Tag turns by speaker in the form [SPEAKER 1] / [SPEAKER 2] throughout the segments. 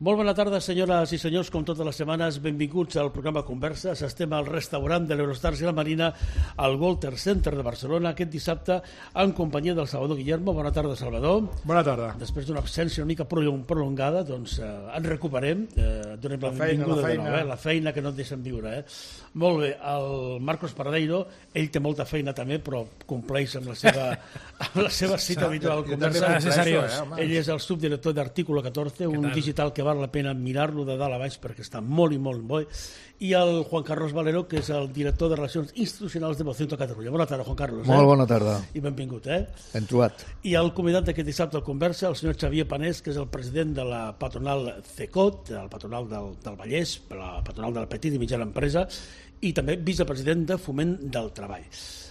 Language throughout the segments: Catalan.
[SPEAKER 1] Molt bona tarda, senyores i senyors, com totes les setmanes, benvinguts al programa Converses. Estem al restaurant de l'Eurostars i la Marina, al Walter Center de Barcelona, aquest dissabte, en companyia del Salvador Guillermo. Bona tarda, Salvador.
[SPEAKER 2] Bona tarda.
[SPEAKER 1] Després d'una absència una mica prolongada, doncs ens recuperem. Donem la benvinguda de nou, la feina que no et deixen viure. Molt bé, el Marcos Paradeiro, ell té molta feina també, però compleix amb la seva cita habitual al Conversa. Ell és el subdirector d'Artículo 14, un digital que val la pena mirar-lo de dalt a baix perquè està molt i molt bo. I el Juan Carlos Valero, que és el director de Relacions Institucionals de Vocento Catalunya. Bona tarda, Juan Carlos.
[SPEAKER 2] Molt bona tarda.
[SPEAKER 1] I benvingut.
[SPEAKER 2] Ben trobat.
[SPEAKER 1] I el convidat d'aquest dissabte al Conversa, el senyor Xavier Panés, que és el president de la patronal CECOT, el patronal del Vallès, la patronal de la petita i mitjana empresa, i també vicepresident de Foment del Treball.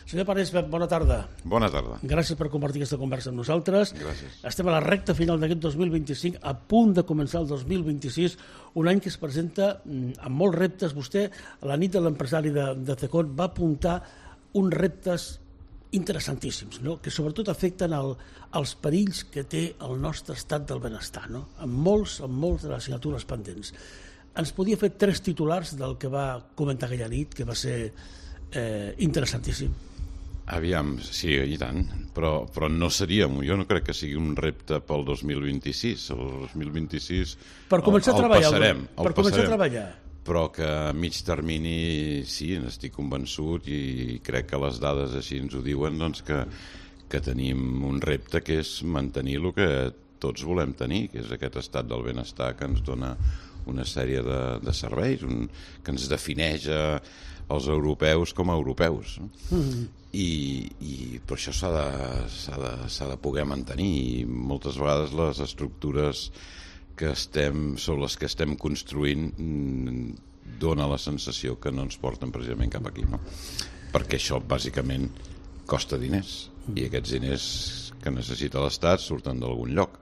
[SPEAKER 1] Senyor Panés, bona tarda.
[SPEAKER 3] Bona tarda.
[SPEAKER 1] Gràcies per compartir aquesta conversa amb nosaltres.
[SPEAKER 3] Gràcies.
[SPEAKER 1] Estem a la recta final d'aquest 2025, a punt de començar el 2026, un any que es presenta amb molts reptes. Vostè, a la nit de l'empresari de CECOT, va apuntar uns reptes interessantíssims, no? Que sobretot afecten els perills que té el nostre estat del benestar, no? Amb molts de les assignatures pendents. Ens podia fer 3 titulars del que va comentar aquella nit, que va ser interessantíssim.
[SPEAKER 3] Aviam, sí, i tant, però no seria, jo no crec que sigui un repte pel 2026. El 2026
[SPEAKER 1] per començar a treballar,
[SPEAKER 3] el
[SPEAKER 1] començar a treballar.
[SPEAKER 3] Però que a mig termini sí, n'estic convençut i crec que les dades així ens ho diuen, doncs que tenim un repte que és mantenir el que tots volem tenir, que és aquest estat del benestar que ens dona una sèrie de serveis, que ens defineix els europeus com a europeus. I per això s'ha de poder mantenir, i moltes vegades les estructures sobre les que estem construint dona la sensació que no ens porten precisament cap aquí, no? Perquè això bàsicament costa diners, i aquests diners que necessita l'Estat surten d'algun lloc,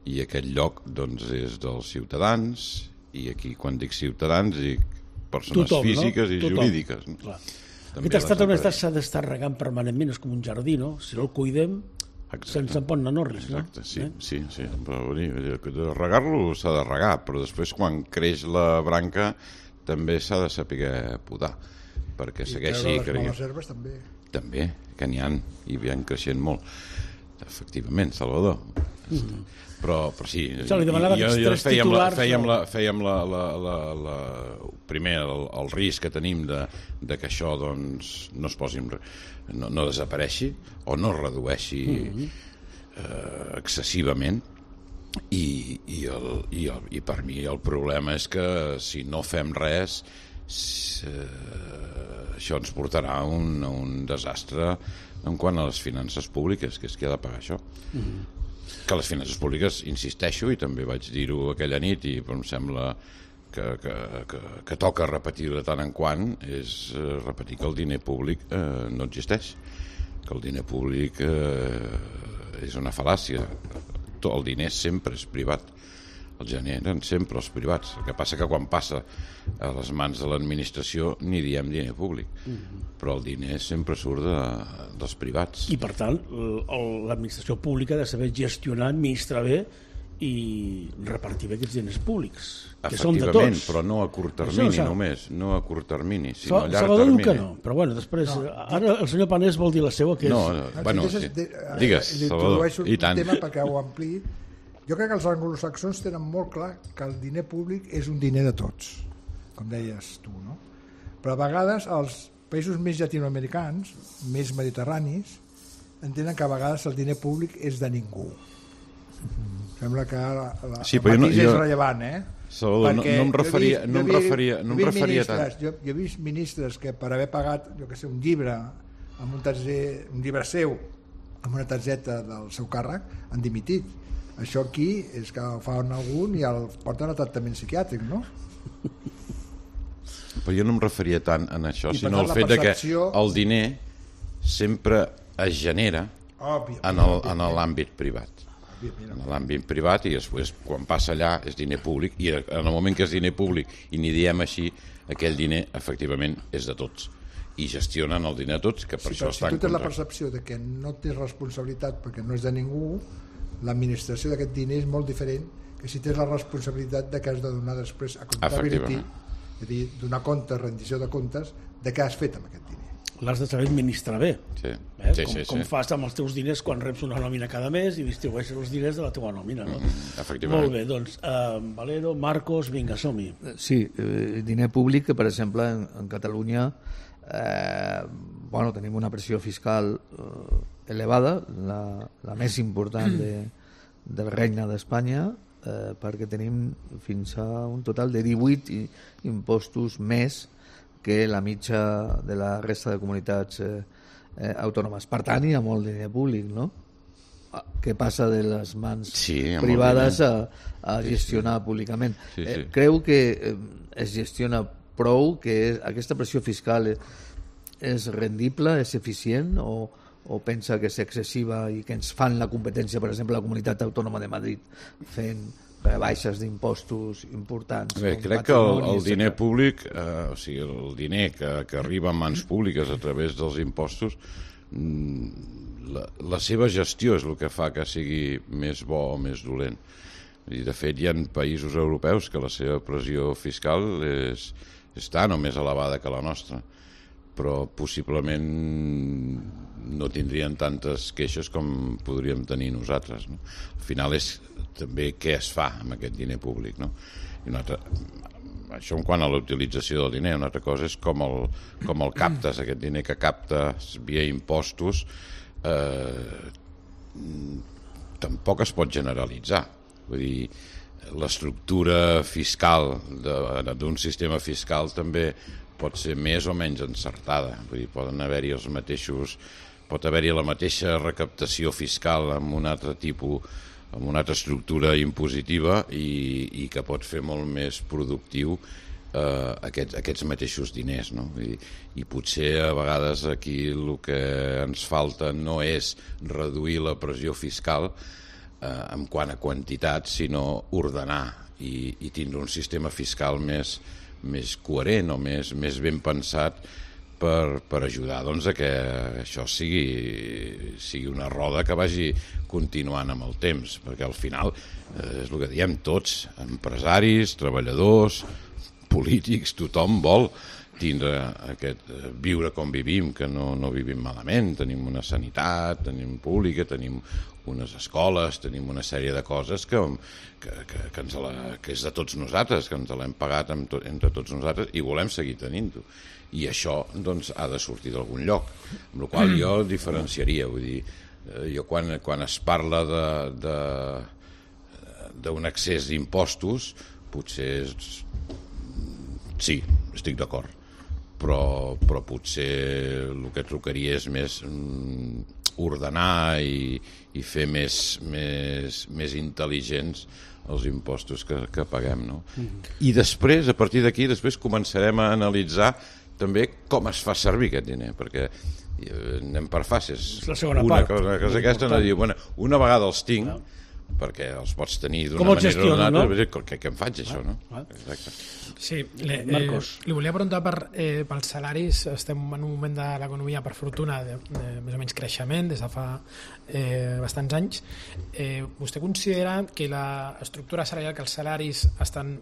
[SPEAKER 3] i aquest lloc doncs és dels ciutadans, i aquí quan dic ciutadans dic persones físiques i jurídiques.
[SPEAKER 1] Aquest estat del benestar s'ha d'estar regant permanentment, és com un jardí, no? Si no el cuidem, se'ns en pot anar res, no?
[SPEAKER 3] Exacte, sí. Però regar-lo s'ha de regar, però després quan creix la branca també s'ha de saber podar, perquè segueixi...
[SPEAKER 2] I treure les males herbes també.
[SPEAKER 3] També, que n'hi ha, i van creixent molt. Efectivament, Salvador. Però sí, fèiem primer el risc que tenim de que això doncs no es posi, no desapareixi o no es redueixi excessivament, i per mi el problema és que si no fem res això ens portarà a un desastre en quant a les finances públiques, que és qui ha de pagar això. Que les finances públiques, insisteixo, i també vaig dir-ho aquella nit, i em sembla que toca repetir de tant en quant, és repetir que el diner públic no existeix, que el diner públic és una fal·làcia. El diner sempre és privat, el generen sempre els privats. El que passa que quan passa a les mans de l'administració ni diem diner públic, però el diner sempre surt dels privats.
[SPEAKER 1] I per tant l'administració pública ha de saber gestionar, administrar bé i repartir bé aquests diners públics, que són de tots.
[SPEAKER 3] Però no a curt termini només, no a curt termini, sinó a llarg
[SPEAKER 1] Salvador
[SPEAKER 3] termini.
[SPEAKER 1] Que no, però bueno, després ara el senyor Panés vol dir la seva, que és...
[SPEAKER 3] Digues, Salvador, i tant.
[SPEAKER 2] Un tema perquè ho ampliï. Jo crec que els anglosaxons tenen molt clar que el diner públic és un diner de tots, com deies tu, no? Però a vegades els països més llatinoamericans, més mediterranis, entenen que a vegades el diner públic és de ningú. Sembla que el matís és rellevant,
[SPEAKER 3] Salvador, no em referia tant.
[SPEAKER 2] Jo he vist ministres que per haver pagat, jo que sé, un llibre amb un llibre seu amb una targeta del seu càrrec han dimitit. Això aquí és que fan algun i el porten a tractament psiquiàtric, no?
[SPEAKER 3] Però jo no em referia tant a això, sinó al fet que el diner sempre es genera en l'àmbit privat. En l'àmbit privat, i després quan passa allà és diner públic, i en el moment que és diner públic i n'hi diem així, aquell diner efectivament és de tots i gestionen el diner de tots, que per això està en
[SPEAKER 2] contracte. Si tu tens la percepció de que no tens responsabilitat perquè no és de ningú, l'administració d'aquest diner és molt diferent que si tens la responsabilitat de que has de donar després accountability, és a dir, donar compte, rendició de comptes de què has fet amb aquest diner.
[SPEAKER 1] L'has de saber administrar bé.
[SPEAKER 3] Sí.
[SPEAKER 1] Com fas amb els teus diners quan reps una nòmina cada mes i distribueixes els diners de la teva nòmina, no?
[SPEAKER 3] Efectivament.
[SPEAKER 1] Molt bé, doncs, Valero, Marcos, vinga, som-hi.
[SPEAKER 4] Sí, diner públic que, per exemple, en Catalunya tenim una pressió fiscal elevada, la més important del Regne d'Espanya, perquè tenim fins a un total de 18 impostos més que la mitja de la resta de comunitats autònomes. Per tant, hi ha molt diner públic, no? Que passa de les mans privades a gestionar públicament. Creu que es gestiona prou, que aquesta pressió fiscal és rendible, és eficient, o pensa que és excessiva i que ens fan la competència, per exemple, la Comunitat Autònoma de Madrid fent rebaixes d'impostos importants?
[SPEAKER 3] Bé, crec que el diner públic, o sigui, el diner que arriba a mans públiques a través dels impostos, la seva gestió és el que fa que sigui més bo o més dolent. I, de fet, hi ha països europeus que la seva pressió fiscal és tan o més elevada que la nostra, però possiblement no tindrien tantes queixes com podríem tenir nosaltres, no? Al final és també què es fa amb aquest diner públic, no? I això en quant a la utilització del diner. Una altra cosa és com el captes, aquest diner que captes via impostos. Tampoc es pot generalitzar. Vull dir, l'estructura fiscal d'un sistema fiscal també pot ser més o menys encertada. Vull dir, pot haver-hi la mateixa recaptació fiscal amb un altre tipus, amb una altra estructura impositiva i que pot fer molt més productiu aquests mateixos diners, no? I potser a vegades aquí el que ens falta no és reduir la pressió fiscal en quant a quantitat, sinó ordenar i tindre un sistema fiscal més coherent o més ben pensat per ajudar a que això sigui una roda que vagi continuant amb el temps, perquè al final és el que diem tots, empresaris, treballadors, polítics, tothom vol viure com vivim, que no vivim malament, tenim una sanitat, tenim pública, tenim unes escoles, tenim una sèrie de coses que és de tots nosaltres, que ens l'hem pagat entre tots nosaltres i volem seguir tenint-ho. I això doncs, ha de sortir d'algun lloc, amb la qual jo diferenciaria. Vull dir, jo quan es parla d'un excés d'impostos, potser sí, estic d'acord, però potser el que trucaria és més ordenar i fer més intel·ligents els impostos que paguem, no? I després, a partir d'aquí, començarem a analitzar també com es fa servir aquest diner, perquè anem per fases.
[SPEAKER 1] És la segona part.
[SPEAKER 3] Una cosa aquesta, no dir, una vegada els tinc, perquè els pots tenir d'una manera o d'una altra, què em faig, això, no? Exacte.
[SPEAKER 5] Sí, li volia preguntar pels salaris. Estem en un moment de l'economia, per fortuna, de més o menys creixement des de fa bastants anys. Vostè considera que l'estructura salarial, que els salaris estan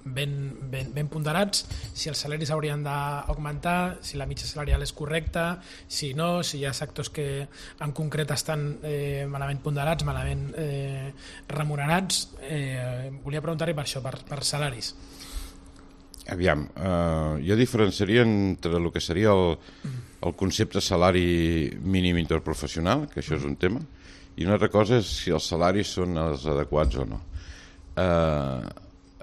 [SPEAKER 5] ben ponderats, si els salaris haurien d'augmentar, si la mitja salarial és correcta, si no, si hi ha sectors que en concret estan malament ponderats, malament remunerats? Volia preguntar-li per això, per salaris.
[SPEAKER 3] Aviam, jo diferenciaria entre el que seria el concepte salari mínim interprofessional, que això és un tema, i una altra cosa és si els salaris són els adequats o no.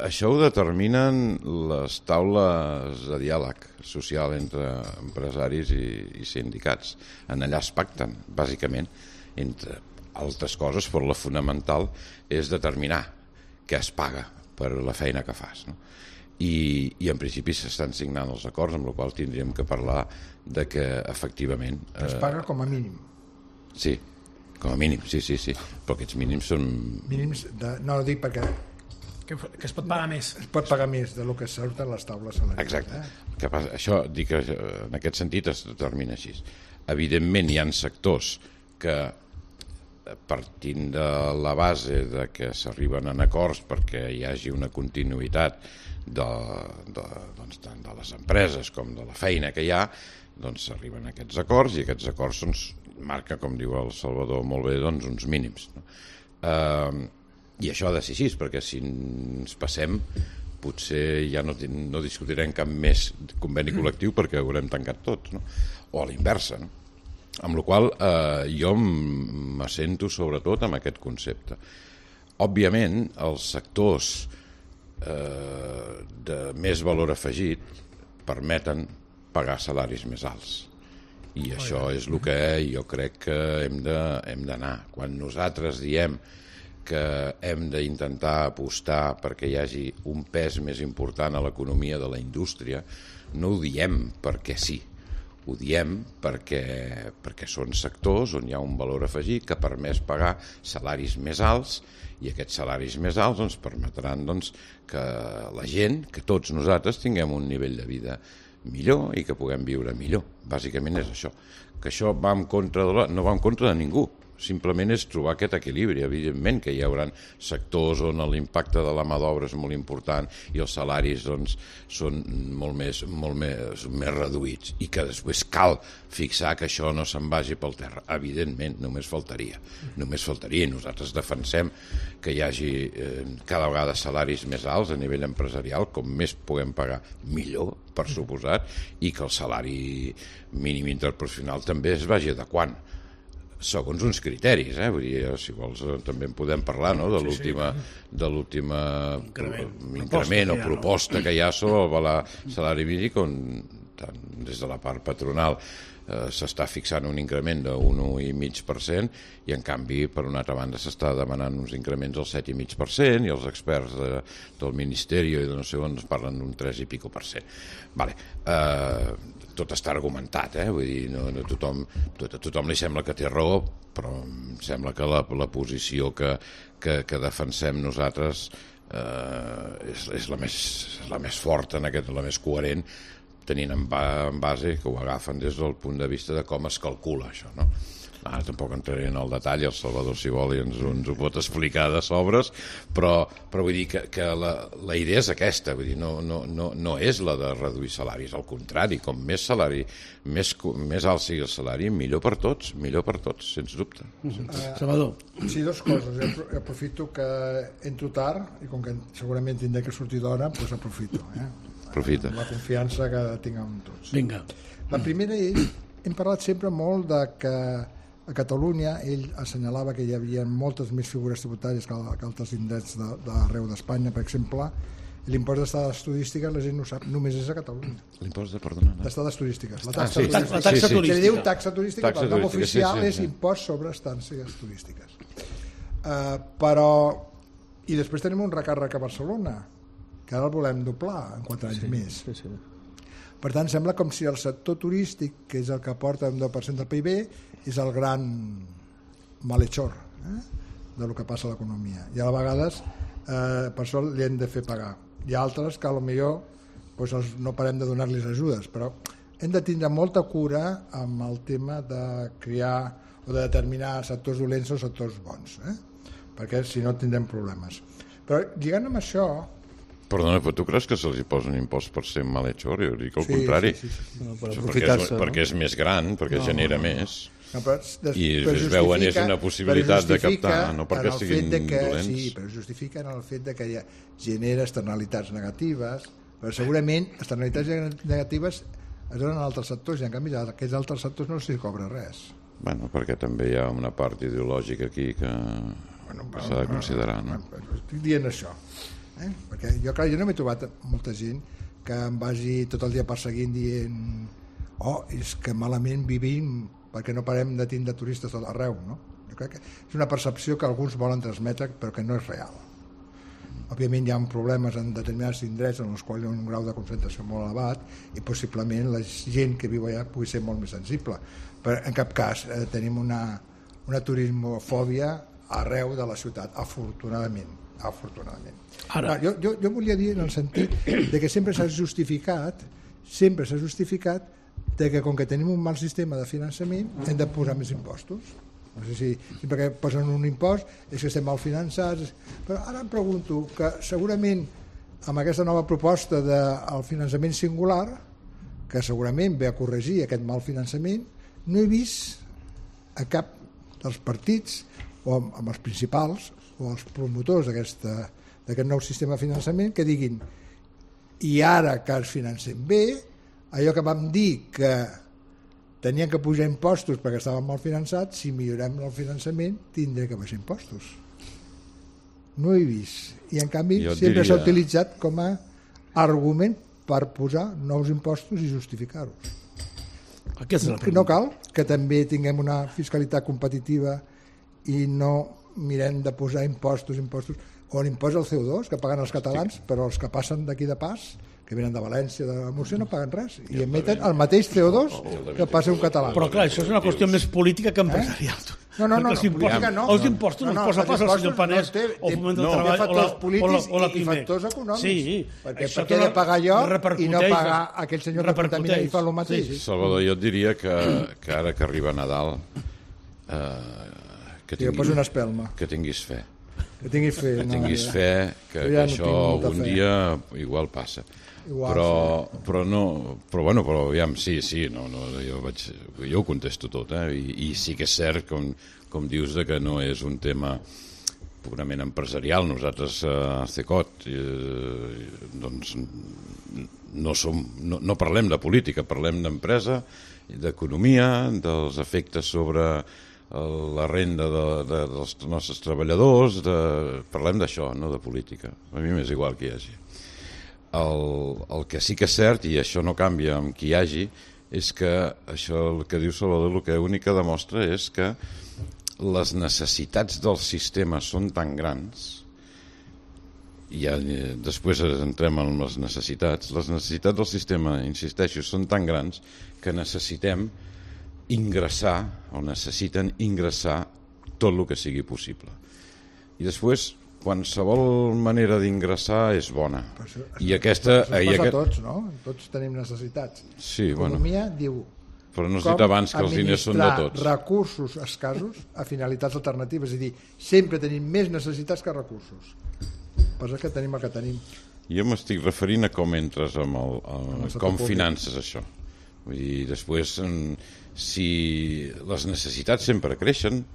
[SPEAKER 3] Això ho determinen les taules de diàleg social entre empresaris i sindicats. En allà es pacten, bàsicament, entre altres coses, però la fonamental és determinar què es paga per la feina que fas, no? I en principi s'estan signant els acords, amb la qual tindríem que parlar de que efectivament
[SPEAKER 2] es paga com a mínim.
[SPEAKER 3] Sí, com a mínim, sí, però aquests mínims són
[SPEAKER 2] mínims no dic perquè
[SPEAKER 5] que es pot pagar més.
[SPEAKER 2] Es pot pagar més del que surten les taules salarials.
[SPEAKER 3] Exacte. Això dic que en aquest sentit es determina així. Evidentment hi ha sectors que partint de la base de que s'arriben en acords perquè hi hagi una continuïtat doncs, tant de les empreses com de la feina que hi ha, doncs s'arriben a aquests acords, i aquests acords marca, com diu el Salvador molt bé, doncs, uns mínims, no? I això ha de ser així, perquè si ens passem potser ja no discutirem cap més conveni col·lectiu perquè haurem tancat tot, no? O a l'inversa, no? Amb la qual jo m'assento sobretot amb aquest concepte. Òbviament, els sectors de més valor afegit permeten pagar salaris més alts. I això és el que jo crec que hem d'anar. Quan nosaltres diem que hem d'intentar apostar perquè hi hagi un pes més important a l'economia de la indústria, no ho diem perquè sí. Ho diem perquè són sectors on hi ha un valor afegit que permet pagar salaris més alts, i aquests salaris més alts ens permetran que la gent, que tots nosaltres tinguem un nivell de vida millor i que puguem viure millor. Bàsicament és això. Que això no va en contra de ningú. Simplement és trobar aquest equilibri. Evidentment que hi haurà sectors on l'impacte de la mà d'obra és molt important i els salaris són molt més reduïts, i que després cal fixar que això no se'n vagi pel terra. Evidentment, només faltaria. Nosaltres defensem que hi hagi cada vegada salaris més alts a nivell empresarial, com més puguem pagar millor, per suposat, i que el salari mínim interprofessional també es vagi adequant segons uns criteris, vull dir, si vols també en podem parlar, no?, de l'últim increment o proposta que hi ha sobre el salari mínim, tant des de la part patronal s'està fixant un increment de 1,5%, i en canvi per una altra banda s'està demanant uns increments del 7,5%, i els experts del Ministeri i de no sé on parlen d'un 3 i pico %. Tot està argumentat, vull dir, a tothom li sembla que té raó, però em sembla que la posició que defensem nosaltres és la més forta, la més coherent, tenint en base que ho agafen des del punt de vista de com es calcula això, no? Ara tampoc entraré en el detall, el Salvador, si vol, ens ho pot explicar de sobres, però vull dir que la idea és aquesta, vull dir, no és la de reduir salaris, al contrari, com més salari, més alt sigui el salari, millor per tots, sens dubte.
[SPEAKER 1] Salvador.
[SPEAKER 2] Sí, dues coses. Aprofito que entro tard, i com que segurament tindré que sortir d'hora, doncs aprofito.
[SPEAKER 3] Aprofita.
[SPEAKER 2] La confiança que tinc amb tots.
[SPEAKER 1] Vinga.
[SPEAKER 2] La primera és, hem parlat sempre molt de que a Catalunya ell assenyalava que hi havia moltes més figures tributàries que altres indrets d'arreu d'Espanya. Per exemple, l'impost d'estades turístiques, la gent no sap, només és a Catalunya.
[SPEAKER 3] L'impost
[SPEAKER 2] d'estades turístiques. La
[SPEAKER 1] taxa turística.
[SPEAKER 2] Se li diu taxa turística, però el nom oficial és impost sobre estàncies turístiques. Però... I després tenim un recàrrec a Barcelona, que ara el volem doblar en 4 anys més. Per tant, sembla com si el sector turístic, que és el que aporta un 10% del PIB, és el gran malhechor del que passa a l'economia. I a vegades per això li hem de fer pagar. Hi ha altres que potser no parem de donar-los ajudes, però hem de tindre molta cura amb el tema de crear o de determinar sectors dolents o sectors bons, perquè si no tindrem problemes. Però lligant amb això...
[SPEAKER 3] Perdona, però tu creus que se'ls posa un impost per ser malhechor? Jo dic el contrari.
[SPEAKER 2] Sí.
[SPEAKER 3] Perquè és més gran, perquè genera més. I es veuen és una possibilitat de captar, no perquè siguin dolents.
[SPEAKER 2] Sí, però justifiquen el fet de que genera externalitats negatives, però segurament externalitats negatives es donen a altres sectors, i en canvi a aquests altres sectors no s'hi cobra res.
[SPEAKER 3] Bueno, perquè també hi ha una part ideològica aquí que s'ha de considerar, no?
[SPEAKER 2] Estic dient això, perquè jo no m'he trobat molta gent que em vagi tot el dia perseguint dient és que malament vivim perquè no parem de tindre turistes a l'arreu, no? Jo crec que és una percepció que alguns volen transmetre però que no és real. Òbviament hi ha problemes en determinats indrets en els quals hi ha un grau de concentració molt elevat i possiblement la gent que viu allà pugui ser molt més sensible, però en cap cas tenim una turismofòbia arreu de la ciutat, afortunadament. Ara. Jo volia dir en el sentit de que sempre s'ha justificat de que com que tenim un mal sistema de finançament hem de posar més impostos. No sé si sempre que posen un impost és que estem mal finançats, però ara em pregunto que segurament amb aquesta nova proposta del finançament singular, que segurament ve a corregir aquest mal finançament, no he vist a cap dels partits o amb els principals o els promotors d'aquest nou sistema de finançament que diguin i ara que els financem bé, allò que vam dir que tenien que pujar impostos perquè estaven mal finançats, si millorem el finançament tindrem que baixar impostos. No ho he vist. I en canvi sempre s'ha utilitzat com a argument per posar nous impostos i justificar-los. No cal que també tinguem una fiscalitat competitiva i no mirem de posar impostos o l'impost al CO2 que paguen els catalans, però els que passen d'aquí de pas, que venen de València, de Múrcia, no paguen res i emeten el mateix CO2 que passa un català.
[SPEAKER 1] Però clar, això és una qüestió més política que empresarial.
[SPEAKER 2] No, política no.
[SPEAKER 1] Els impostos no els posa pas el senyor Panés o Foment del Treball
[SPEAKER 2] factors polítics i factors econòmics.
[SPEAKER 1] Sí,
[SPEAKER 2] perquè per què he de pagar jo i no pagar aquell senyor que contamina i fa el mateix?
[SPEAKER 3] Salvador, jo et diria que ara que arriba Nadal que tinguis fe.
[SPEAKER 2] Que tinguis
[SPEAKER 3] fe que això algun dia igual passa. Però aviam, sí, jo ho contesto tot, i sí que és cert, com dius, que no és un tema purament empresarial. Nosaltres a CECOT doncs no parlem de política, parlem d'empresa, d'economia, dels efectes sobre la renda dels nostres treballadors, parlem d'això, no de política. A mi m'és igual que hi hagi. El que sí que és cert, i això no canvia amb qui hi hagi, és que això el que diu Salvador l'únic que demostra és que les necessitats del sistema són tan grans, i ja després entrem en les necessitats del sistema, insisteixo, són tan grans que necessiten ingressar tot el que sigui possible. I després qualsevol manera d'ingressar és bona. I aquesta...
[SPEAKER 2] Això passa a tots, no? Tots tenim necessitats.
[SPEAKER 3] Sí,
[SPEAKER 2] L'economia diu
[SPEAKER 3] però no has dit abans que els diners són de tots.
[SPEAKER 2] Recursos escassos a finalitats alternatives, és a dir, sempre tenim més necessitats que recursos. Passa que tenim el que tenim.
[SPEAKER 3] Jo m'estic referint a com entres com finances això. Vull dir, després, si les necessitats sempre creixen,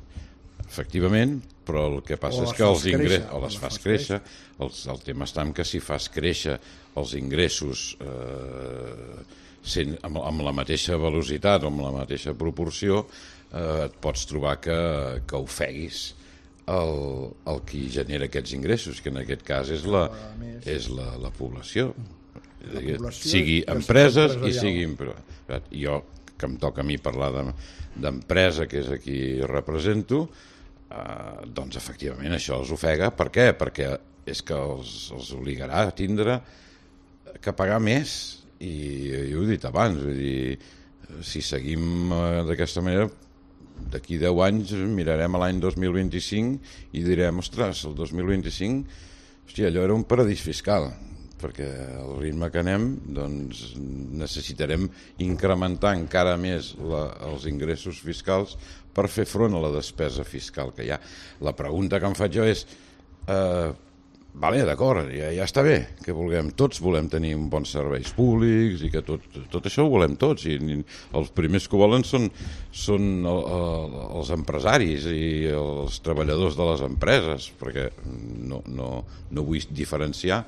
[SPEAKER 3] efectivament, però el que passa és que els ingressos, o les fas créixer, el tema està en que si fas créixer els ingressos amb la mateixa velocitat o amb la mateixa proporció, et pots trobar que ofeguis el que genera aquests ingressos, que en aquest cas és la població. Sigui empreses i siguin... Jo, que em toca a mi parlar d'empresa, que és a qui represento, doncs efectivament això els ofega. Per què? Perquè és que els obligarà a tindre que pagar més, i ho he dit abans, vull dir, si seguim d'aquesta manera, d'aquí 10 anys mirarem a l'any 2025 i direm, ostres, el 2025 allò era un paradís fiscal, perquè al ritme que anem doncs necessitarem incrementar encara més els ingressos fiscals per fer front a la despesa fiscal que hi ha. La pregunta que em faig jo és d'acord, ja està bé que tots volem tenir bons serveis públics i que tot això ho volem tots, i els primers que ho volen són els empresaris i els treballadors de les empreses, perquè no vull diferenciar.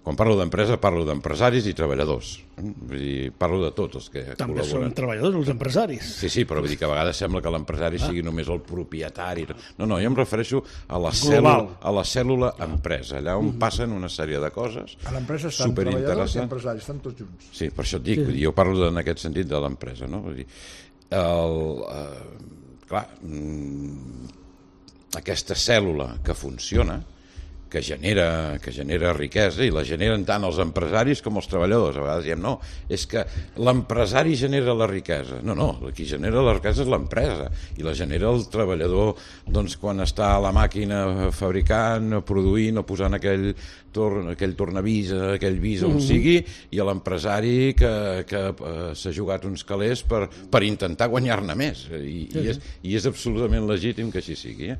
[SPEAKER 3] Quan parlo d'empresa, parlo d'empresaris i treballadors. Vull dir, parlo de tots els que
[SPEAKER 1] també
[SPEAKER 3] col·laboren.
[SPEAKER 1] També són treballadors, els empresaris.
[SPEAKER 3] Sí, però vull dir que a vegades sembla que l'empresari sigui només el propietari. No, jo em refereixo a la cèl·lula empresa, allà on passen una sèrie de coses superinteressants.
[SPEAKER 2] A l'empresa estan treballadors i empresaris, estan tots junts.
[SPEAKER 3] Sí, per això et dic, jo parlo en aquest sentit de l'empresa, no? Vull dir, clar, aquesta cèl·lula que funciona, que genera riquesa, i la generen tant els empresaris com els treballadors. A vegades diem, no, és que l'empresari genera la riquesa. No, qui genera la riquesa és l'empresa, i la genera el treballador quan està a la màquina fabricant, produint o posant aquell tornavís, aquell vis on sigui, i a l'empresari que s'ha jugat uns calés per intentar guanyar-ne més, i és absolutament legítim que així sigui.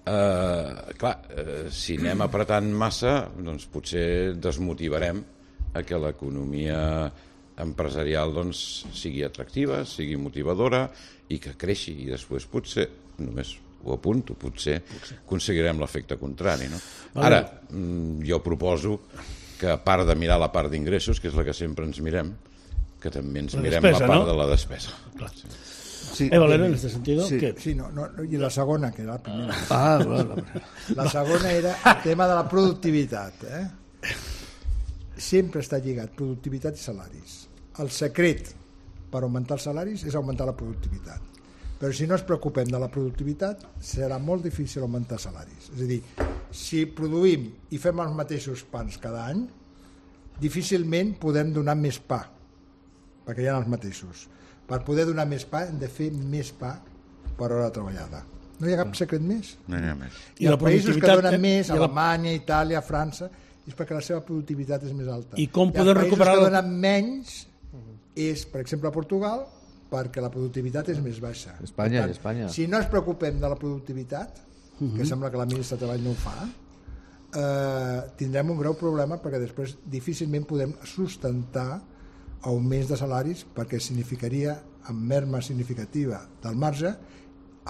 [SPEAKER 3] Clar, si anem apretant massa, doncs potser desmotivarem a que l'economia empresarial sigui atractiva, sigui motivadora i que creixi, i després potser, només ho apunto, potser aconseguirem l'efecte contrari, no? Ara, jo proposo que a part de mirar la part d'ingressos, que és la que sempre ens mirem, que també ens mirem la part de la despesa.
[SPEAKER 1] Clar. Sí, Valero, en este sentido.
[SPEAKER 2] Sí, i la segona, que era la primera. La segona era el tema de la productivitat. Sempre està lligat productivitat i salaris. El secret per augmentar els salaris és augmentar la productivitat. Però si no ens preocupem de la productivitat, serà molt difícil augmentar salaris. És a dir, si produïm i fem els mateixos pans cada any, difícilment podem donar més pa, perquè hi ha els mateixos. Per poder donar més pa hem de fer més pa per hora treballada. No hi ha cap secret més.
[SPEAKER 3] No hi ha més.
[SPEAKER 2] I els països que donen més, Alemanya, Itàlia, França, és perquè la seva productivitat és més alta.
[SPEAKER 1] I com podem recuperar...
[SPEAKER 2] Els països que donen menys és, per exemple, Portugal, perquè la productivitat és més baixa.
[SPEAKER 4] Espanya.
[SPEAKER 2] Si no ens preocupem de la productivitat, que sembla que la ministra de Treball no ho fa, tindrem un greu problema, perquè després difícilment podem sustentar augments de salaris, perquè significaria, amb merma significativa del marge,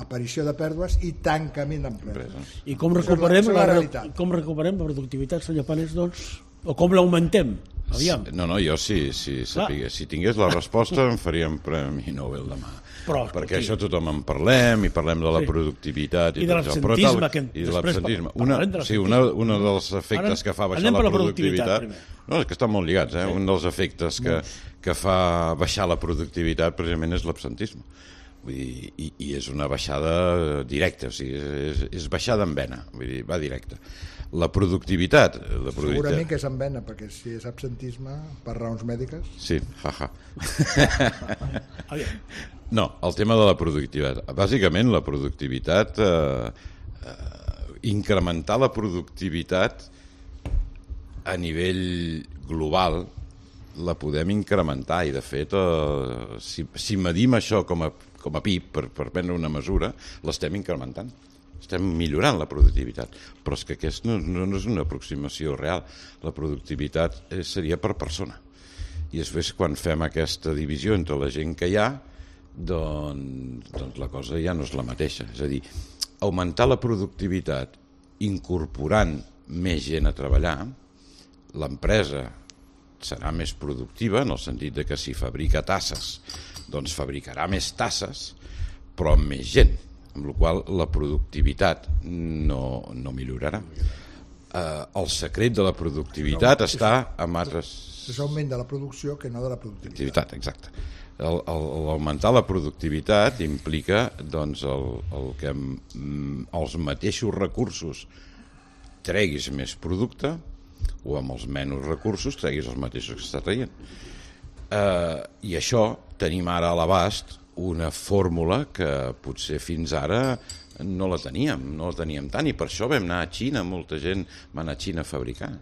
[SPEAKER 2] aparició de pèrdues i tancament d'empreses.
[SPEAKER 1] I com recuperem la productivitat, senyor Panés, doncs? O com l'augmentem? Aviam.
[SPEAKER 3] No, jo si tingués la resposta em faria un Premi Nobel demà. Perquè això tothom en parlem, i parlem de la productivitat
[SPEAKER 1] i de l'absentisme,
[SPEAKER 3] i de l'absentisme. Un dels efectes que fa baixar la productivitat, no, és que estan molt lligats, un dels efectes que fa baixar la productivitat precisament és l'absentisme. I és una baixada directa, o sigui, és baixada en vena, vull dir, va directa. La productivitat...
[SPEAKER 2] Segurament que és en vena, perquè si és absentisme per raons mèdiques...
[SPEAKER 3] Sí, No, el tema de la productivitat. Bàsicament, la productivitat, incrementar la productivitat a nivell global la podem incrementar, i de fet, si medim això com a PIB, per prendre una mesura, l'estem incrementant. Estem millorant la productivitat, però és que aquesta no és una aproximació real. La productivitat seria per persona. I després, quan fem aquesta divisió entre la gent que hi ha, doncs la cosa ja no és la mateixa. És a dir, augmentar la productivitat incorporant més gent a treballar, l'empresa serà més productiva, en el sentit de que si fabrica tasses, doncs fabricarà més tasses, però amb més gent, amb la qual cosa la productivitat no millorarà. El secret de la productivitat està en altres...
[SPEAKER 2] És augment de la producció que no de la productivitat.
[SPEAKER 3] Exacte. L'augmentar la productivitat implica doncs, que els mateixos recursos treguis més producte, o amb els menys recursos treguis els mateixos que està traient. I això tenim ara a l'abast una fórmula que potser fins ara no la teníem tant, i per això vam anar a Xina, molta gent va anar a Xina a fabricar,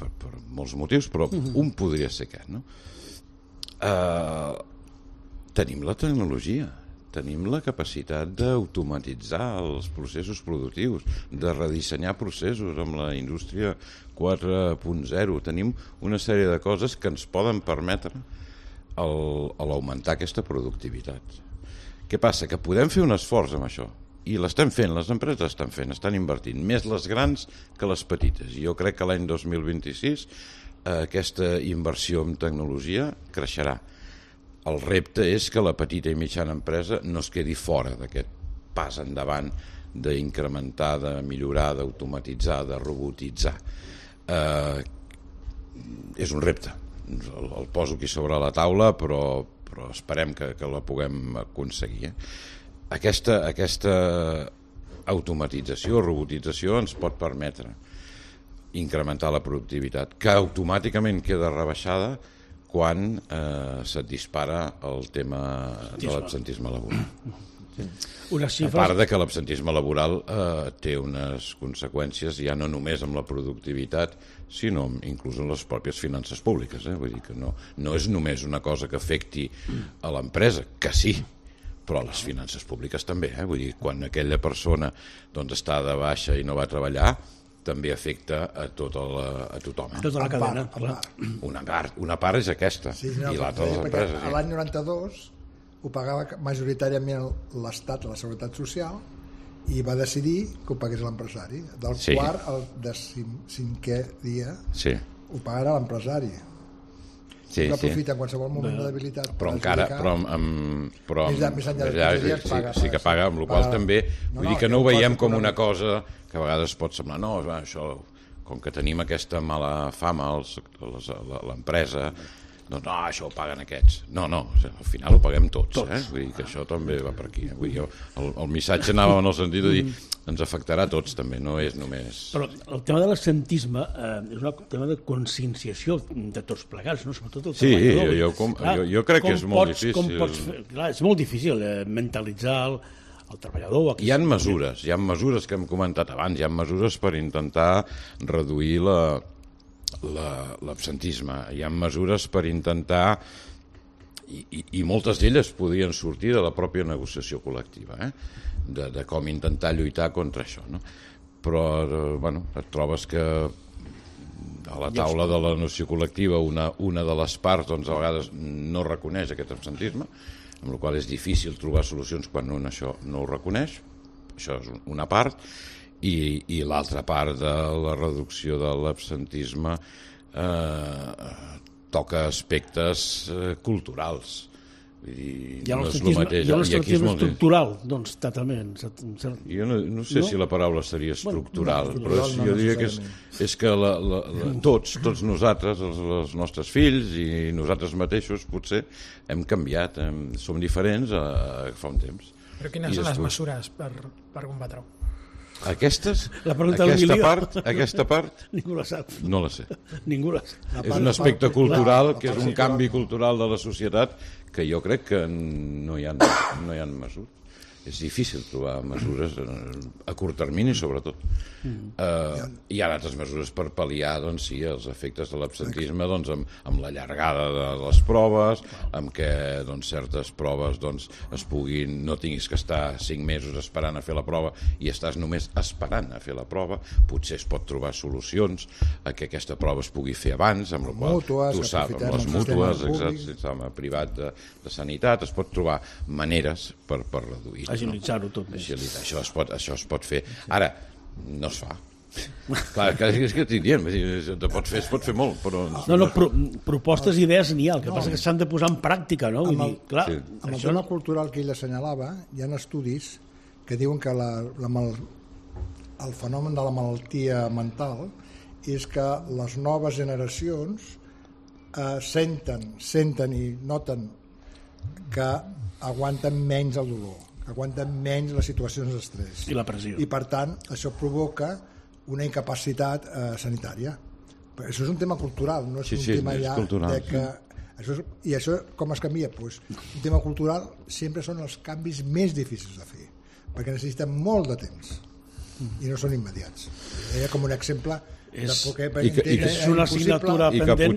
[SPEAKER 3] per molts motius, però un podria ser aquest, no? Tenim la tecnologia, tenim la capacitat d'automatitzar els processos productius, de redissenyar processos amb la indústria 4.0, tenim una sèrie de coses que ens poden permetre l'augmentar aquesta productivitat. Què passa? Que podem fer un esforç amb això, i l'estem fent, les empreses l'estan fent, estan invertint, més les grans que les petites. Jo crec que l'any 2026 aquesta inversió en tecnologia creixerà. El repte és que la petita i mitjana empresa no es quedi fora d'aquest pas endavant d'incrementar, de millorar, d'automatitzar, de robotitzar. És un repte. El poso aquí sobre la taula, però esperem que la puguem aconseguir. Aquesta automatització, robotització ens pot permetre incrementar la productivitat, que automàticament queda rebaixada quan se't dispara el tema de l'absentisme laboral. A part de que l'absentisme laboral té unes conseqüències ja no només amb la productivitat, sinó inclús en les pròpies finances públiques. Vull dir que no és només una cosa que afecti a l'empresa, que sí, però a les finances públiques també. Vull dir, quan aquella persona està de baixa i no va treballar, també afecta a tothom.
[SPEAKER 1] Tota la cadena.
[SPEAKER 3] Una part és aquesta, i l'altra de les empreses.
[SPEAKER 2] L'any 92 ho pagava majoritàriament l'Estat, la Seguretat Social, i va decidir que ho pagués l'empresari. Del quart al 5è dia ho pagarà l'empresari.
[SPEAKER 3] Sí,
[SPEAKER 2] aprofita en qualsevol moment de debilitat.
[SPEAKER 3] Però encara, sí que paga, amb la qual també, vull dir que no ho veiem com una cosa que a vegades pot semblar, no, això, com que tenim aquesta mala fama l'empresa, doncs no, això ho paguen aquests. No, al final ho paguem tots. Vull dir que això també va per aquí. Vull dir, el missatge anava en el sentit de dir ens afectarà a tots també, no és només...
[SPEAKER 1] Però el tema de l'absentisme és un tema de conscienciació de tots plegats, no? Sobretot el treballador.
[SPEAKER 3] Jo crec que és molt difícil.
[SPEAKER 1] Clar, és molt difícil mentalitzar el treballador.
[SPEAKER 3] Hi ha mesures que hem comentat abans, hi ha mesures per intentar reduir l'absentisme, hi ha mesures per intentar, i moltes d'elles podrien sortir de la pròpia negociació col·lectiva, de com intentar lluitar contra això, no? Però et trobes que a la taula de la negociació col·lectiva una de les parts a vegades no reconeix aquest absentisme, amb la qual és difícil trobar solucions quan un això no ho reconeix. Això és una part. I l'altra part de la reducció de l'absentisme toca aspectes culturals. Vull dir,
[SPEAKER 1] hi ha l'absentisme estructural, doncs, totalment.
[SPEAKER 3] Jo no sé si la paraula seria estructural, però jo diria que és que tots nosaltres, els nostres fills i nosaltres mateixos, potser hem canviat, som diferents fa un temps.
[SPEAKER 5] Però quines són les mesures per combatre-ho?
[SPEAKER 3] Aquesta part
[SPEAKER 1] ningú la sap.
[SPEAKER 3] No la sé.
[SPEAKER 1] Ningú la sap.
[SPEAKER 3] És un aspecte cultural, que és un canvi cultural de la societat que jo crec que no hi ha mesures. És difícil trobar mesures a curt termini, sobretot. Hi ha altres mesures per pal·liar els efectes de l'absentisme amb la llargada de les proves, amb què certes proves no tinguis que estar 5 mesos esperant a fer la prova i estàs només esperant a fer la prova. Potser es pot trobar solucions a que aquesta prova es pugui fer abans, amb la qual tu saps, amb les mútues, el sistema privat de sanitat, es pot trobar maneres per reduir.
[SPEAKER 1] Agilitzar-ho tot.
[SPEAKER 3] Això es pot fer. Ara, no es fa. Clar, és que estic dient, es pot fer molt, però...
[SPEAKER 1] Propostes i idees n'hi ha, el que passa que s'han de posar en pràctica, no?
[SPEAKER 2] Amb el tema cultural que ell assenyalava, hi ha estudis que diuen que el fenomen de la malaltia mental és que les noves generacions senten i noten que aguanten menys el dolor, aguanten menys les situacions d'estrès.
[SPEAKER 1] I la pressió.
[SPEAKER 2] I, per tant, això provoca una incapacitat sanitària. Però això és un tema cultural, no és un tema ja cultural, de que... I això com es canvia? Un tema cultural sempre són els canvis més difícils de fer, perquè necessiten molt de temps i no són immediats. Era com un exemple
[SPEAKER 1] és una assignatura pendent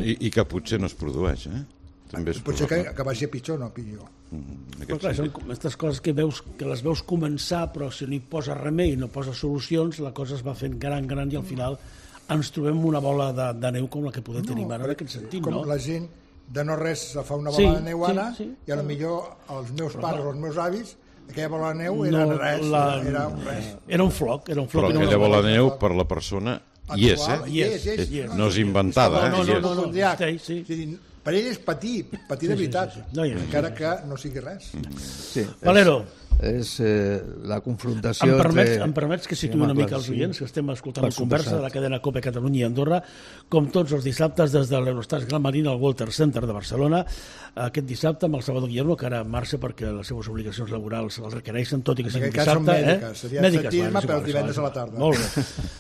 [SPEAKER 3] i que potser no es produeix,
[SPEAKER 2] potser que vagi a pitjor, no a pitjor.
[SPEAKER 1] Però clar, són aquestes coses que les veus començar, però si no hi posa remei, no posa solucions, la cosa es va fent gran i al final ens trobem una bola de neu com la que podem tenir ara en aquest sentit, no?
[SPEAKER 2] Com la gent de no res se fa una bola de neu ara i potser els meus pares o els meus avis, aquella bola de neu era res.
[SPEAKER 1] Era un floc.
[SPEAKER 3] Però aquella bola de neu per la persona hi és, no és inventada.
[SPEAKER 2] No. Per ell és patir de veritat, encara que no sigui res.
[SPEAKER 1] Valero,
[SPEAKER 4] la confrontació
[SPEAKER 1] em permets que situï una mica els oients, que estem escoltant la conversa de la cadena COPE Catalunya i Andorra, com tots els dissabtes des de l'Eurostars Gran Marina al Walter Center de Barcelona, aquest dissabte amb el Salvador Guillermo, que ara marxa perquè les seves obligacions laborals el requereixen, tot i que sigui un dissabte.
[SPEAKER 2] Mèdiques, seria atletisme, però divendres a la tarda.
[SPEAKER 1] Molt bé.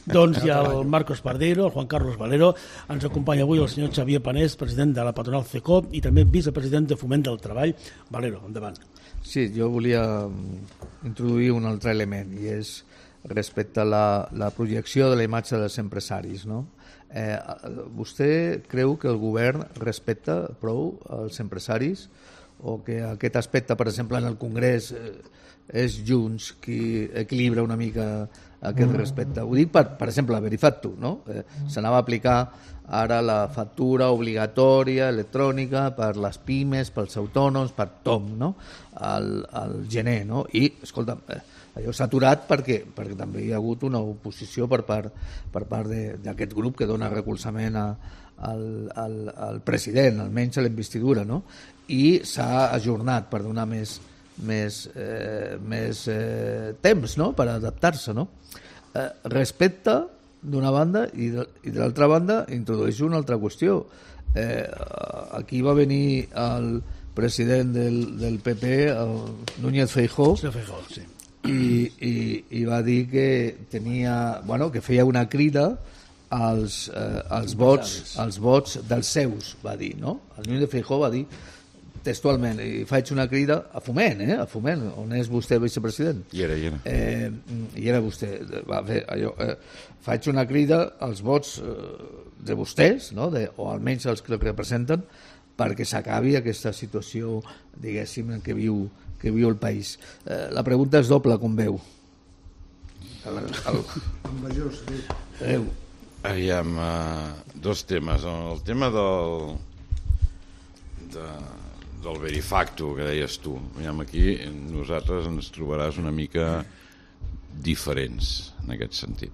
[SPEAKER 1] Doncs hi ha el Marcos Pardeiro, el Juan Carlos Valero, ens acompanya avui el senyor Xavier Panés, president de la patronal CECOP i també vicepresident de Foment del Treball. Valero, endavant.
[SPEAKER 4] Sí, jo volia introduir un altre element, i és respecte a la projecció de la imatge dels empresaris, no? Vostè creu que el govern respecta prou els empresaris, o que aquest aspecte, per exemple, en el Congrés és Junts qui equilibra una mica aquest respecte? Ho dic per exemple, Verifactu, no? S'anava a aplicar ara la factura obligatòria electrònica per les pimes, pels autònoms, per tothom, no? Al gener, no? I, escolta, allò s'ha aturat perquè també hi ha hagut una oposició per part d'aquest grup que dona recolzament al president, almenys a la investidura, no? I s'ha ajornat per donar més temps, no? Per adaptar-se, no? Respecte d'una banda i de l'altra banda introdueix una altra qüestió. Aquí va venir el president del PP, Núñez Feijóo,
[SPEAKER 1] Sí.
[SPEAKER 4] i va dir que tenia, que feia una crida als vots dels seus, va dir, no? El Núñez Feijóo va dir textualment, i faig una crida a Foment, on és vostè vicepresident?
[SPEAKER 3] I
[SPEAKER 4] era vostè. Va fer allò, faig una crida als vots de vostès, no? O almenys els que representen, perquè s'acabi aquesta situació, diguéssim, en què viu el país. La pregunta és doble, com veu?
[SPEAKER 3] Aviam, dos temes. El tema del Verifactu, que deies tu. Aquí nosaltres ens trobaràs una mica diferents en aquest sentit.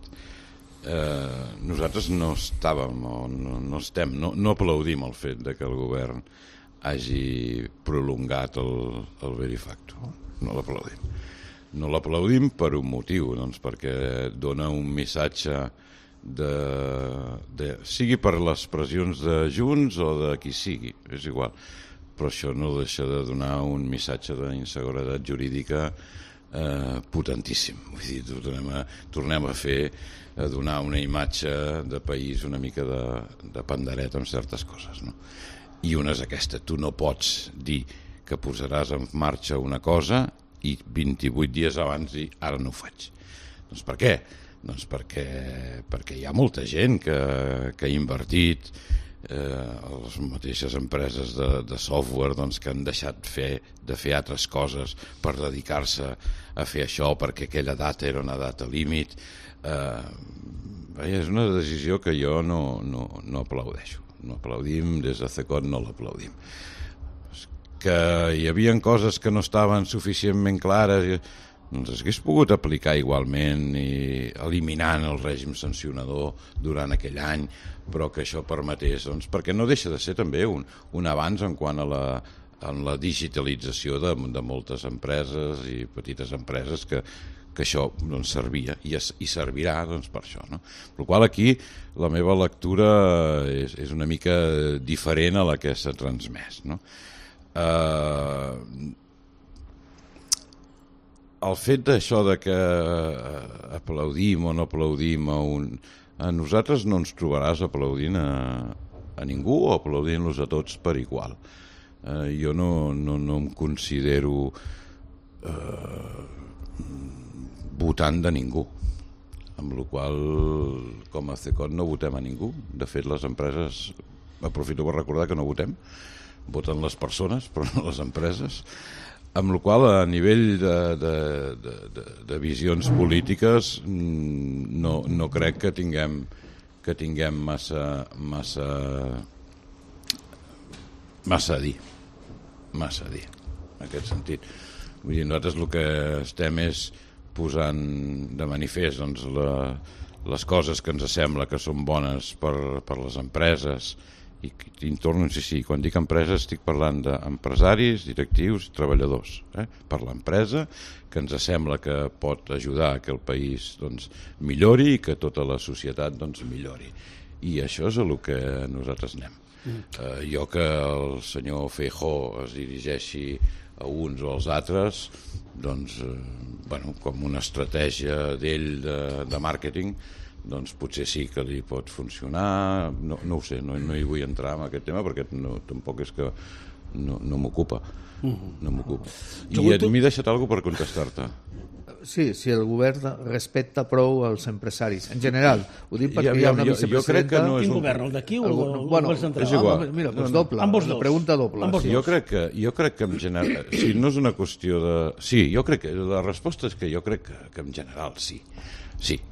[SPEAKER 3] Nosaltres no estàvem o no estem, no aplaudim el fet de que el govern hagi prolongat el Verifactu. No l'aplaudim. No l'aplaudim per un motiu, doncs perquè dona un missatge sigui per les pressions de Junts o de qui sigui, és igual, però això no deixa de donar un missatge d'inseguretat jurídica potentíssim. Vull dir, tornem a donar una imatge de país una mica de pandereta amb certes coses, no? I una és aquesta: tu no pots dir que posaràs en marxa una cosa i 28 dies abans dir ara no ho faig. Doncs per què? Doncs perquè hi ha molta gent que ha invertit, les mateixes empreses de software que han deixat de fer altres coses per dedicar-se a fer això perquè aquella data era una data límit. És una decisió que jo no aplaudeixo. No aplaudim, des de CECOT no l'aplaudim. Que hi havia coses que no estaven suficientment clares, doncs s'hagués pogut aplicar igualment i eliminant el règim sancionador durant aquell any, però que això permetés, perquè no deixa de ser també un avanç en quant a la digitalització de moltes empreses i petites empreses que això servia i servirà per això, no? Per la qual aquí la meva lectura és una mica diferent a la que s'ha transmès, no? El fet d'això de que aplaudim o no aplaudim a nosaltres no ens trobaràs aplaudint a ningú o aplaudint-los a tots per igual. Jo no em considero votant de ningú, amb la qual com a CECOT no votem a ningú. De fet, les empreses, aprofito per recordar que no votem, voten les persones però no les empreses, amb la qual a nivell de visions polítiques no crec que tinguem massa a dir en aquest sentit. Vull dir, nosaltres el que estem és posant de manifest les coses que ens sembla que són bones per les empreses i torno a insistir, quan dic empreses estic parlant d'empresaris, directius, treballadors, per l'empresa, que ens sembla que pot ajudar que el país millori i que tota la societat millori. I això és el que nosaltres anem. Jo que el senyor Feijóo es dirigeixi a uns o als altres, com una estratègia d'ell de màrqueting, potser sí que li pot funcionar, no ho sé, no hi vull entrar en aquest tema perquè tampoc és que no m'ocupa. No m'ocupa. I m'he deixat alguna cosa per contestar-te.
[SPEAKER 4] Sí, si el govern respecta prou els empresaris, en general. Ho dic perquè hi ha una vicepresidenta...
[SPEAKER 1] Quin govern, el d'aquí o el govern central?
[SPEAKER 3] És igual.
[SPEAKER 4] Mira, doncs doble, la pregunta doble.
[SPEAKER 3] Jo crec que en general... Si no és una qüestió de... Sí, jo crec que... La resposta és que jo crec que en general sí. Sí.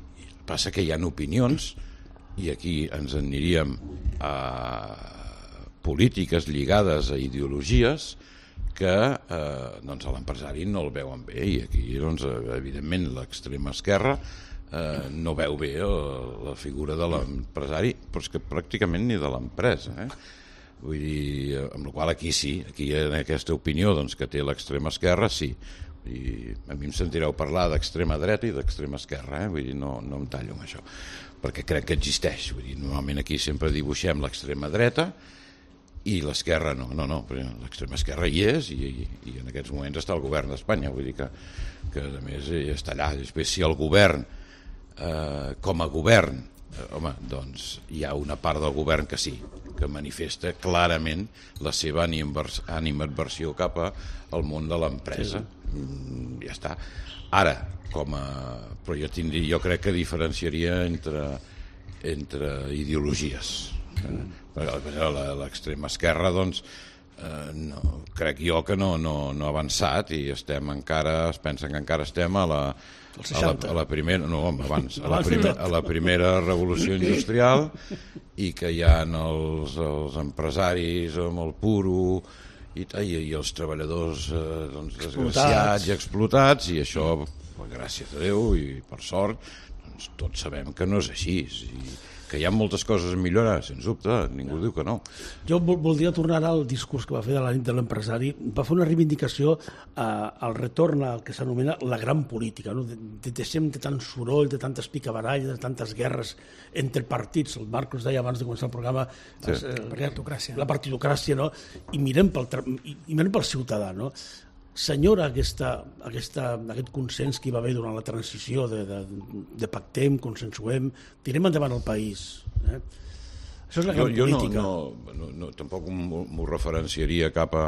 [SPEAKER 3] Passa que hi ha opinions i aquí ens aniríem a polítiques lligades a ideologies que a l'empresari no el veuen bé i aquí evidentment l'extrema esquerra no veu bé la figura de l'empresari, però és que pràcticament ni de l'empresa. Vull dir, amb la qual aquí sí, aquí en aquesta opinió que té l'extrema esquerra sí. I a mi em sentireu parlar d'extrema dreta i d'extrema esquerra, vull dir, no em tallo amb això, perquè crec que existeix. Vull dir, normalment aquí sempre dibuixem l'extrema dreta i l'esquerra no, l'extrema esquerra hi és i en aquests moments està el govern d'Espanya, vull dir que a més està allà. Després, si el govern, com a govern, home, doncs hi ha una part del govern que sí, que manifesta clarament la seva animadversió cap al món de l'empresa. Ja està. Ara, però jo crec que diferenciaria entre ideologies. L'extrema esquerra, crec jo que no ha avançat i es pensen que encara estem a la primera, no, abans, a la primera revolució industrial i que hi ha els empresaris amb el puro i els treballadors desgraciats i explotats, i això, gràcies a Déu i per sort, tots sabem que no és així, que hi ha moltes coses a millorar, sens dubte, ningú diu que no.
[SPEAKER 1] Jo voldria tornar al discurs que va fer de la nit de l'empresari. Va fer una reivindicació al retorn al que s'anomena la gran política. Deixem de tant soroll, de tantes picabaralles, de tantes guerres entre partits. El Marcos deia abans de començar el programa la partitocràcia, no? I mirem pel ciutadà, no? Senyora aquest consens que hi va haver durant la transició de pactem, consensuem, tirem endavant el país. Això és la gran política.
[SPEAKER 3] Jo tampoc m'ho referenciaria cap a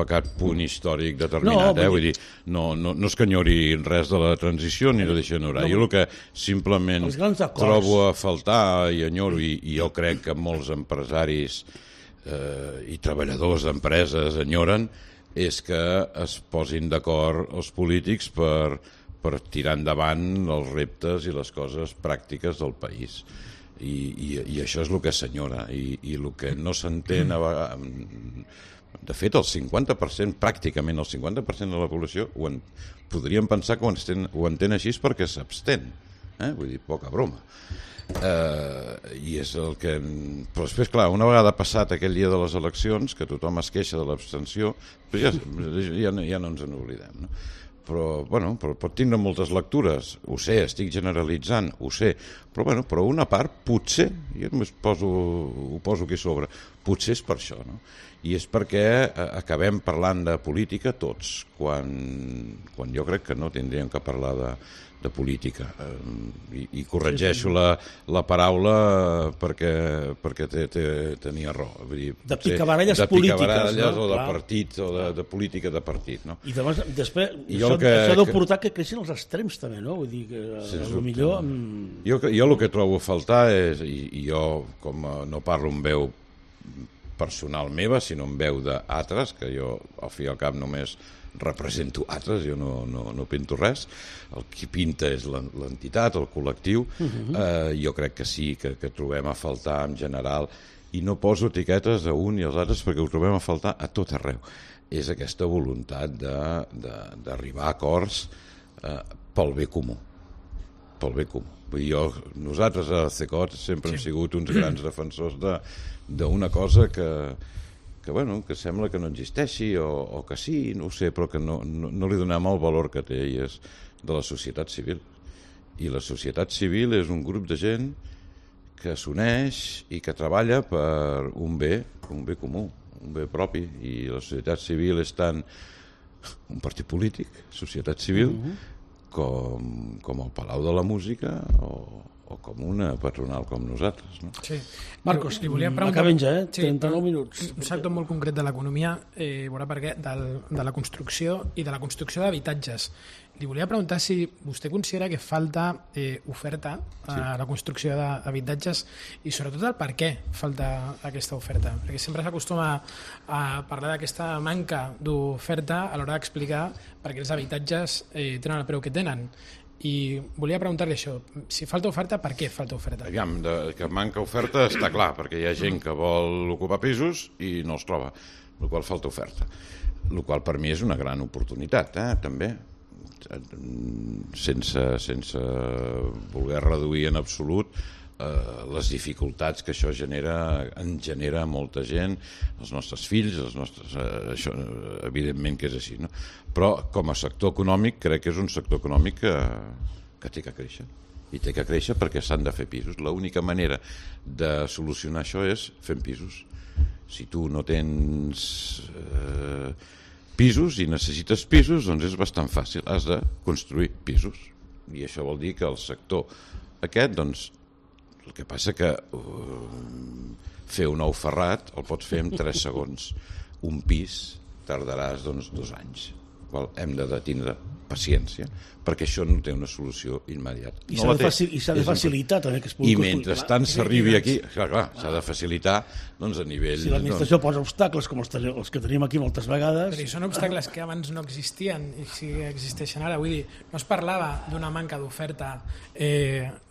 [SPEAKER 3] cap punt històric determinat. Vull dir, no és que enyori res de la transició ni de deixar enyorar. Jo el que simplement trobo a faltar i enyoro, i jo crec que molts empresaris i treballadors d'empreses enyoren, és que es posin d'acord els polítics per tirar endavant els reptes i les coses pràctiques del país. I això és el que s'enyora. I el que no s'entén a vegades... De fet, el 50%, pràcticament el 50% de la població podríem pensar que ho entén així perquè s'abstén. Vull dir, poca broma. I és el que... Però després, clar, una vegada passat aquell dia de les eleccions, que tothom es queixa de l'abstenció, ja no ens n'oblidem, no? Però pot tindre moltes lectures, ho sé, estic generalitzant, ho sé, però una part potser, jo només ho poso aquí sobre, potser és per això, no? I és perquè acabem parlant de política tots, quan jo crec que no tindríem que parlar de política, i corregeixo la paraula perquè tenia raó.
[SPEAKER 1] De picabaralles polítiques, no?
[SPEAKER 3] O de partit, o de política de partit, no?
[SPEAKER 1] I després això deu portar que creixin els extrems també, no? Vull dir que millor...
[SPEAKER 3] Jo el que trobo a faltar és, i jo com no parlo amb veu personal meva, sinó amb veu d'altres, que jo al fi i al cap només represento altres, jo no pinto res, el qui pinta és l'entitat, el col·lectiu. Jo crec que sí, que trobem a faltar en general, i no poso etiquetes a un i als altres perquè ho trobem a faltar a tot arreu. És aquesta voluntat d'arribar a acords pel bé comú. pel bé comú. Vull dir, nosaltres a CECOT sempre hem sigut uns grans defensors d'una cosa que sembla que no existeixi o que sí, no ho sé, però que no li donem el valor que té, i és de la societat civil. I la societat civil és un grup de gent que s'uneix i que treballa per un bé comú, un bé propi, i la societat civil és tant un partit polític, societat civil, com el Palau de la Música o com una patronal com nosaltres, no?
[SPEAKER 5] Sí.
[SPEAKER 1] Marcos, acabem ja, 39 minuts.
[SPEAKER 5] Un sector molt concret de l'economia, veurà per què, de la construcció i de la construcció d'habitatges. Li volia preguntar si vostè considera que falta oferta a la construcció d'habitatges i sobretot el per què falta aquesta oferta, perquè sempre s'acostuma a parlar d'aquesta manca d'oferta a l'hora d'explicar per què els habitatges tenen el preu que tenen. I volia preguntar-li això, si falta oferta, per què falta oferta?
[SPEAKER 3] Aviam, que manca oferta està clar, perquè hi ha gent que vol ocupar pisos i no els troba, el qual falta oferta, el qual per mi és una gran oportunitat, també, sense voler reduir en absolut les dificultats que això genera molta gent, els nostres fills, això evidentment que és així, no? Però com a sector econòmic crec que és un sector econòmic que té que créixer, i té que créixer perquè s'han de fer pisos. L'única manera de solucionar això és fent pisos. Si tu no tens pisos i necessites pisos, doncs és bastant fàcil, has de construir pisos, i això vol dir que el sector aquest, doncs, el que passa que fer un ou ferrat el pots fer en 3 segons. Un pis tardaràs 2 anys. Hem de tindre paciència, perquè això no té una solució immediata.
[SPEAKER 1] I s'ha de facilitar també que es pugui construir.
[SPEAKER 3] I mentrestant s'arribi aquí, clar, s'ha de facilitar a nivell...
[SPEAKER 1] Si l'administració posa obstacles com els que tenim aquí moltes vegades...
[SPEAKER 5] Però són obstacles que abans no existien i si existeixen ara. Vull dir, no es parlava d'una manca d'oferta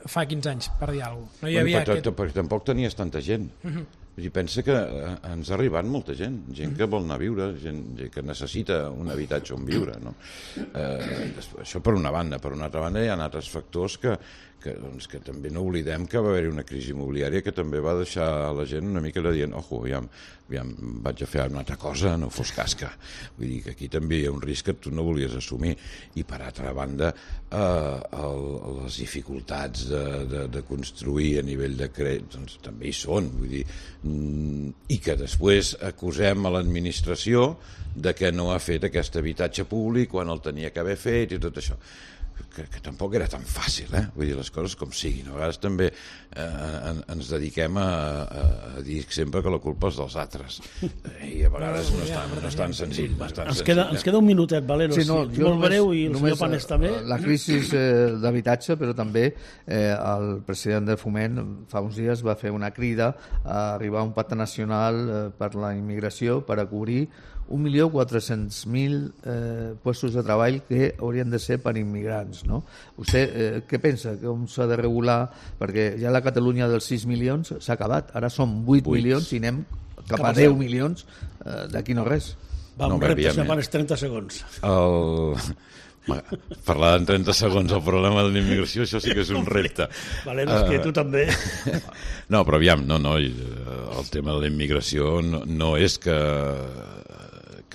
[SPEAKER 5] fa 15 anys, per dir alguna cosa. No hi havia
[SPEAKER 3] perquè tampoc tenies tanta gent. Pensa que ens ha arribat molta gent que vol anar a viure, gent que necessita un habitatge on viure, no? Això per una banda. Per una altra banda hi ha altres factors que també no oblidem que va haver-hi una crisi immobiliària que també va deixar la gent una mica dient ojo, aviam, vaig a fer una altra cosa, no fos casca. Vull dir que aquí també hi ha un risc que tu no volies assumir. I per altra banda les dificultats de construir a nivell de crèdit doncs també hi són, vull dir, i que després acusem a l'administració de que no ha fet aquest habitatge públic quan el tenia que haver fet i tot això. Que tampoc era tan fàcil, vull dir, les coses com siguin. A vegades també ens dediquem a dir sempre que la culpa és dels altres, i a vegades no és tan senzill.
[SPEAKER 1] Ens queda un minutet, Valero, molt breu, i el senyor Panés també.
[SPEAKER 4] La crisi d'habitatge, però també el president de Foment fa uns dies va fer una crida a arribar a un pacte nacional per la immigració per a cobrir 1.400.000 puestos de treball que haurien de ser per immigrants, no? Vostè què pensa? Com s'ha de regular? Perquè ja la Catalunya dels 6 milions s'ha acabat, ara som 8 milions i anem cap a 10 milions d'aquí no res.
[SPEAKER 1] Va, un repte, setmanes 30 segons.
[SPEAKER 3] Parlar en 30 segons el problema de la immigració, això sí que és un repte.
[SPEAKER 1] Valero, és que tu també.
[SPEAKER 3] No, però aviam, el tema de la immigració no és que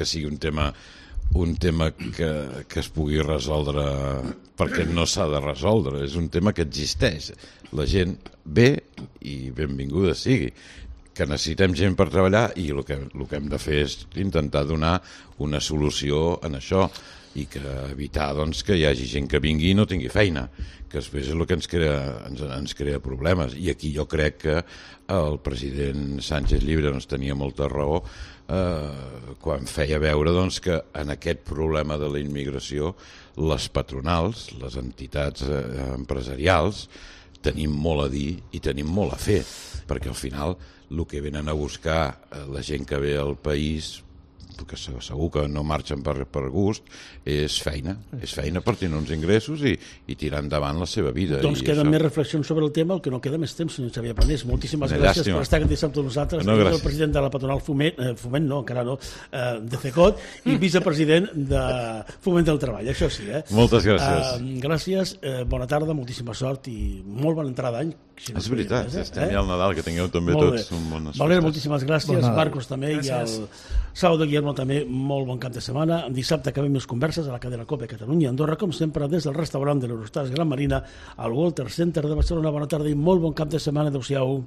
[SPEAKER 3] sigui un tema que es pugui resoldre perquè no s'ha de resoldre, és un tema que existeix. La gent ve i benvinguda sigui. Que necessitem gent per treballar i el que hem de fer és intentar donar una solució en això i que evitar que hi hagi gent que vingui i no tingui feina, que després és el que ens crea problemes. I aquí jo crec que el president Sánchez Llibre tenia molta raó quan feia veure que en aquest problema de la immigració les patronals, les entitats empresarials, tenim molt a dir i tenim molt a fer, perquè al final el que venen a buscar la gent que ve al país que segur que no marxen per gust, és feina per tenir uns ingressos i tirar endavant la seva vida.
[SPEAKER 1] Doncs queden més reflexions sobre el tema, el que no queda més temps, senyor Xavier Panés. Moltíssimes gràcies per estar aquest dissabte amb nosaltres.
[SPEAKER 3] No,
[SPEAKER 1] el president de la patronal Foment no, encara no, de CECOT, i vicepresident de Foment del Treball, això sí.
[SPEAKER 3] Moltes gràcies.
[SPEAKER 1] Gràcies, bona tarda, moltíssima sort i molt bona entrada d'any.
[SPEAKER 3] És veritat, estem ja al Nadal, que tingueu també tots un bon esforç.
[SPEAKER 1] Valera, moltíssimes gràcies, Marcos també, i el Salvador Guillermo també, molt bon cap de setmana. Dissabte acabem les converses a la cadena COPE Catalunya Andorra, com sempre, des del restaurant de l'Eurostars Gran Marina al Walter Center de Barcelona. Bona tarda i molt bon cap de setmana. Adéu-siau.